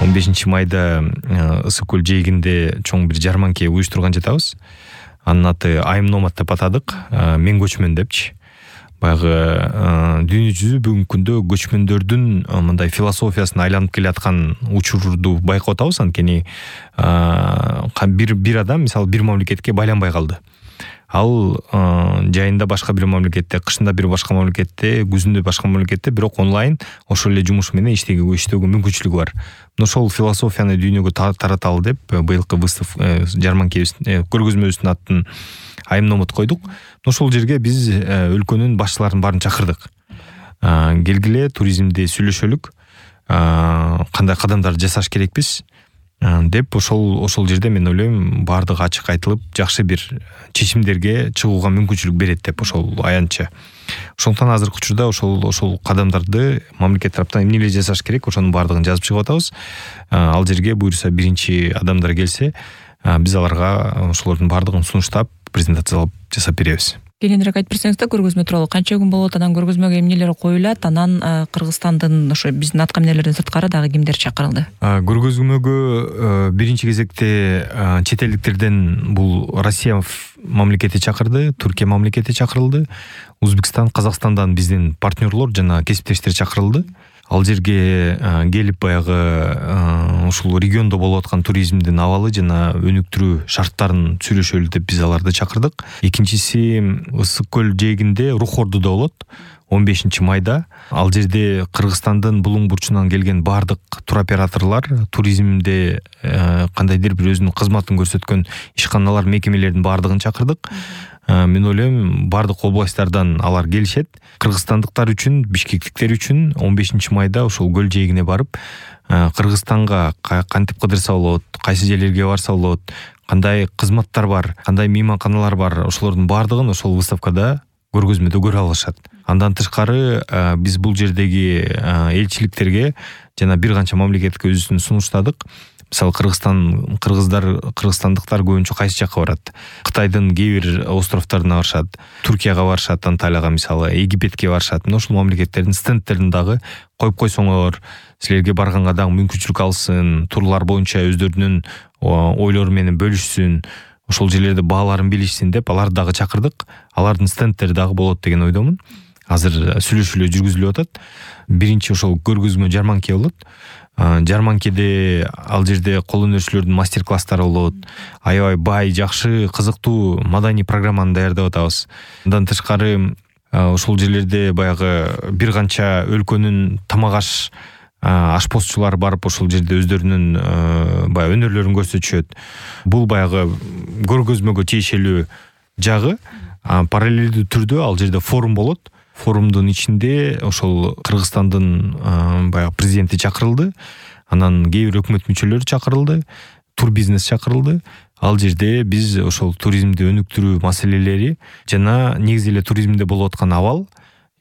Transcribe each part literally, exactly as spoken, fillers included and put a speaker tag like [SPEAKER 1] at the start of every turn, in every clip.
[SPEAKER 1] он бешинчи майда Ысык көл жээгинде чоң бир жарманке уюштурган жатабыз. Анын аты Айым Номад деп атадык. Мен көчмөн депчи. Баягы дүйнө жүзү бүгүнкү күндө көчмөндөрдүн мындай философиясына айланып келаткан учурду байкап атабыз. Анткени бир бир адам мисалы бир мамлекетке байланбай калды. Ал жайында башка бир мамлекетте, кышында бир башка мамлекетте, күзүндө башка мамлекетте, бирок онлайн ошол эле жумуш менен иштөөгө иштөөгө мүмкүнчүлүгү бар. Ошол философияны дүйнөгө тараталы деп быйылкы выстав жарманке көргөзмөбүздүн атын Айым Номад койдук. Ошол жерге биз өлкөнүн башчыларын баарын чакырдык. Келгиле туризмди сүйлөшөлүк, кандай кадамдарды жасаш керекпиз деп ошол ошол жерде мен ойлойм баардыгы ачык айтылып, жакшы бир чечимдерге чыгууга мүмкүнчүлүк берет деп ошол аянтча. Ошондуктан азыркы учурда ошол ошол кадамдарды мамлекет тараптан эмне эле жасаш керек, ошонун баардыгын жазып чыгып атабыз. Ал жерге буюрса биринчи адамдар келсе, биз аларга ошолордун баардыгын сунуштап, презентациялап жасап беребиз.
[SPEAKER 2] Кененирээк айтып берсеңиз да, көргөзмө тууралуу канча күн болот, анан көргөзмөгө эмнелер коюлат, анан Кыргызстандын ошо биздин атка минерлерден сырткары дагы кимдер чакырылды?
[SPEAKER 1] Көргөзмөгө биринчи кезекте чет элдиктерден бул Россия мамлекети чакырды, Түркия мамлекети чакырылды, Өзбекстан, Казакстандан биздин партнерлор жана кесиптештер чакырылды. Ал жерге келип баягы ушул региондо болуп аткан туризмдин абалы жана өнүктүрүү шарттарын сүйлөшөлү деп биз аларды чакырдык. Экинчиси Ысык көл жээгинде Рух Ордудо болот он бешинчи майда. Ал жерде Кыргызстандын булуң бурчунан келген баардык туроператорлор, туризмде кандайдыр бир өзүнүн кызматын көрсөткөн ишканалар, мекемелердин баардыгын чакырдык. Мен ойлойм баардык областтардан алар келишет. Кыргызстандыктар үчүн, бишкектиктер үчүн он бешинчи майда ошол көл жээгине барып, Кыргызстанга кантип кыдырса болот, кайсы жерлерге барса болот, кандай кызматтар бар, кандай мейманканалар бар, ошолордун баардыгын ошол выставкада көргөзмөдө көрө алышат. Андан тышкары биз бул жердеги элчиликтерге жана бир канча мамлекетке өзүбүздүн сунуштадык. Мисалы Кыргызстан кыргыздар кыргызстандыктар көбүнчө кайсы жакка барат? Кытайдын кээ бир островторуна барышат, Түркияга барышат, Анталияга мисалы, Египетке барышат. Мына ушул мамлекеттердин стендтерин дагы коюп койсоңор, силерге барганга дагы мүмкүнчүлүк алсын, турлар боюнча өздөрүнүн ойлору менен бөлүшсүн, ошол жерлерде бааларын билишсин деп аларды дагы чакырдык. Алардын стендтери дагы болот деген ойдомун. Азыр сүйлөшүүлөр жүргүзүлүп атат. Биринчи ошол көргөзмө жарманке болот. Жарманкеде ал жерде кол өнөрчүлөрдүн мастер-класстары болот. Аябай бай, жакшы, кызыктуу маданий программаны даярдап атабыз. Андан тышкары ошол жерлерде баягы бир канча өлкөнүн тамак аш ашпозчулары барып ошол жерде өздөрүнүн баягы өнөрлөрүн көрсөтүшөт. Бул баягы көргөзмөгө тиешелүү жагы. Параллелдүү түрдө ал жерде форум болот. Форумдун ичинде ошол Кыргызстандын баягы президенти чакырылды. Анан кээ бир өкмөт мүчөлөрү чакырылды, турбизнес чакырылды. Ал жерде биз ошол туризмди өнүктүрүү маселелери жана негизи эле туризмде болуп аткан абал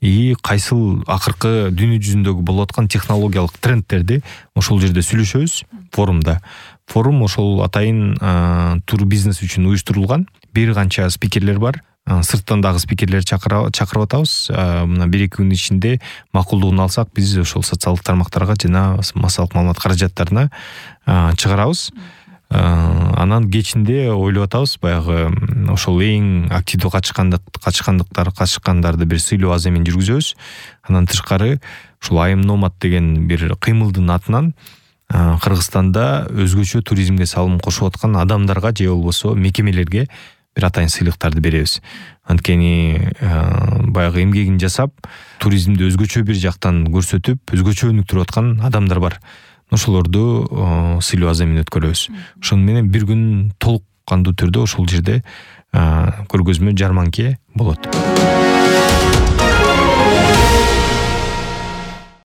[SPEAKER 1] и кайсыл акыркы дүйнө жүзүндөгү болуп аткан технологиялык трендтерди ошол жерде сүйлөшөбүз форумда. Форум ошол атайын турбизнес үчүн уюштурулган. Бир канча спикерлер бар. Сырттан дагы спикерлер чакырып атабыз. Мына бир эки күн ичинде макулдугун алсак, биз ошол социалдык тармактарга жана массалык маалымат каражаттарына чыгарабыз. Анан кечинде ойлоп атабыз, баягы ошол эң активдүү катышкандыктар катышкандарды бир сыйлоо аземин жүргүзөбүз. Андан тышкары ушул Айым Номад деген бир кыймылдын атынан Кыргызстанда өзгөчө туризмге салым кошуп аткан адамдарга же болбосо мекемелерге бир атайын сыйлыктарды беребиз. Анткени баягы эмгегин жасап, туризмди өзгөчө бир жактан көрсөтүп, өзгөчө өнүктүрүп аткан адамдар бар. Ошолорду сыйлоо аземин өткөрөбүз. Ошону менен бир күн толук кандуу түрдө ошол жерде көргөзмө жарманке болот.